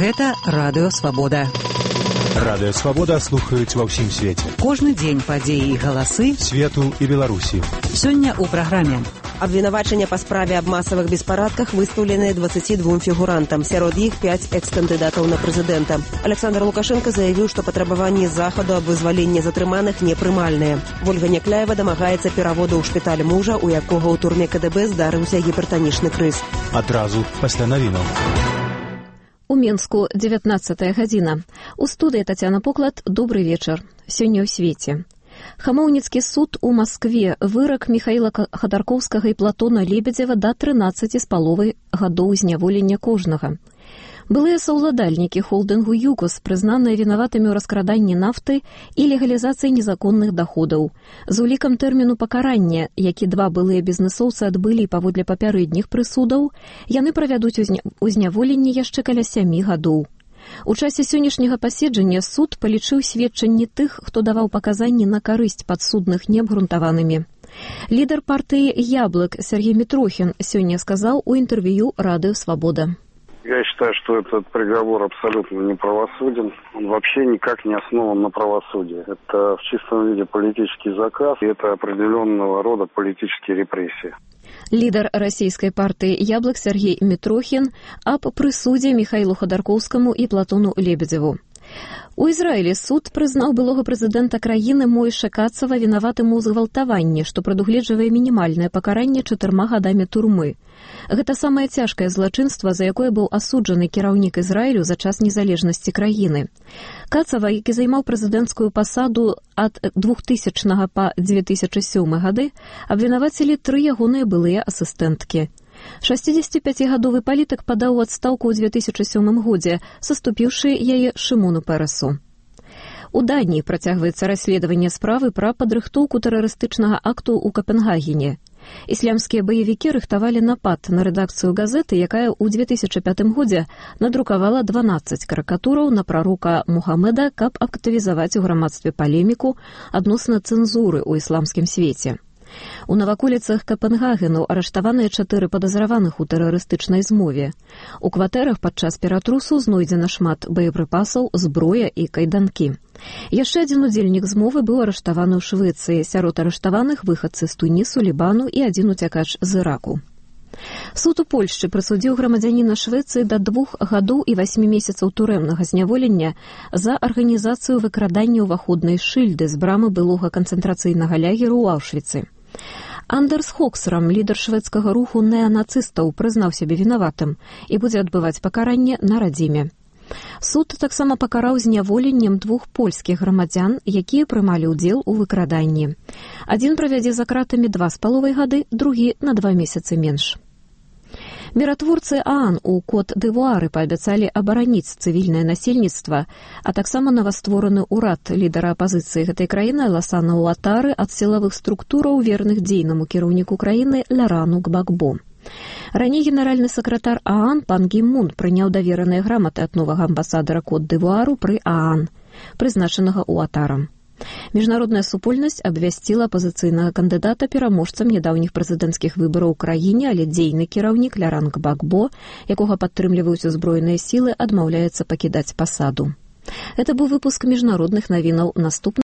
Гэта Радыё Свабода. Радыё Свабода слухаюць ва ўсім свеце. Кожны дзень падзеі і галасы свету і Беларусі. Сёння ў праграме. Абвінавачання па справе аб масавых беспарадках выстаўленыя 22 фігурантам. Сярод іх 5 экс-кандыдатаў на прэзідэнта. Александр Лукашенко заявіў, што патрабаванні захаду аб вызваленні затрыманых непрымальныя. Ольга Някляева дамагаецца пераводу ў шпіталь мужа, у якога ў турме КДБ здарыўся гіпертанічны крыз. Адразу пасля навінаў. У Мінску 19 гадзіна. У студыі Тацяна Поклад. Добрый вечар. Сёння ў свеце. Хамоўніцкі суд у Маскве вырак Михаіла Ходорковскага і Платона Лебедзева да 13,5 гадоў зняволення кожнага. Былыя саўладальнікі холдынгу «Югос» прызнаныя вінаватымі ў раскраданні нафты і легалізацыі незаконных даходаў. З улікам тэрміну пакарання, які два былыя бізнесоўцы адбылі паводле папярэдніх прысудаў, яны правядуць узняволенне яшчэ каля 7 гадоў. У часе сённяшняга паседжання суд палічыў сведчанні тых, хто даваў паказанні на карысць падсудных неабгрунтаванымі. Лідар партыі «Яблык» Сергей Митрохин сёння сказаў у інтэрв'ю Радыё Свабода. Я считаю, что этот приговор абсолютно неправосуден. Он вообще никак не основан на правосудии. Это в чистом виде политический заказ, и это определенного рода политические репрессии. Лідар расійскай партыі «Яблык» Сергей Митрохин аб прысудзе Михаілу Ходорковскаму і Платону Лебедзеву. У Ізраілі суд прызнаў былога прэзідэнта краіны Мойше Кацава вінаватым у згвалтаванні, што прадугледжвае мінімальнае пакаранне 4 гадамі турмы. Гэта самае цяжкае злачынства, за якое быў асуджаны кіраўнік Ізраілю за час незалежнасці краіны. Кацава, які займаў прэзідэнцкую пасаду ад 2000 па 2007 гады, абвінавацілі 3 ягоныя былыя асістэнткі. 65-гадовы палітык падаў у адстаўку ў 2007 годзе, саступіўшы яе Шымону Пересу. У Даніі працягваецца расследаванне справы пра падрыхтоўку тэрарыстычнага акту ў Капенгагене. Іслямскія баевікі рыхтавалі напад на рэдакцыю газеты, якая ў 2005 годзе надрукавала 12 карыкатураў на прарока Мухаммеда, каб актывізаваць у грамадстве палеміку адносна цэнзуры ў ісламскім свеце. У наваколіцах Капенгагену арыштаваныя 4 падазраваных у тэрарыстычнай змове. У кватэрах падчас ператрусу знойдзена шмат боепрыпасаў, зброя і кайданкі. Яшчэ адзін удзельнік змовы быў арыштаваны ў Швецыі. Сярод арыштаваных выхадцы з Тунісу, Лібану і адзін уцякач з Іраку. Суд у Польшчы прысудзіў грамадзяніна Швецыі да 2 гадоў і 8 месяцаў турэмнага зняволення за арганізацыю выкрадання ўваходнай шыльды з брамы былога канцэнтрацыйнага лагеру ў Аўшвіцы. Андерс Хоксрам, лідар шведскага руху неанацыстаў, прызнаў сябе вінаватым і будзе адбываць пакаранне на радзіме. Суд таксама пакараў зняволеннем 2 польскіх грамадзян, якія прымалі ўдзел у выкраданні. Адзін правядзе за кратамі 2,5 гады, другі на 2 месяцы менш. Міратворцы ААН у Кот-д'Івуары паабяцалі абараніць цывільнае насельніцтва, а таксама новаствораны ўрад лідара апазіцыі гэтай краіны Аласана Уатары ад сілавых структураў, верных дзейнаму кіраўніку краіны Лорану Гбагбо. Раней генеральны сакратар ААН пан Гі Мун прыняў давераныя граматы ад новага амбасадара Кот-д'Івуару пры ААН, прызначанага Уатарам. Міжнародная супольнасць абвясціла апазіцыйнага кандыдата пераможцам нядаўніх прэзідэнцкіх выбараў у краіне, але дзейны кіраўнік Лоран Гбагбо, якога падтрымліваюць узброеныя сілы, адмаўляецца пакідаць пасаду. Гэта быў выпуск міжнародных навінаў. Наступны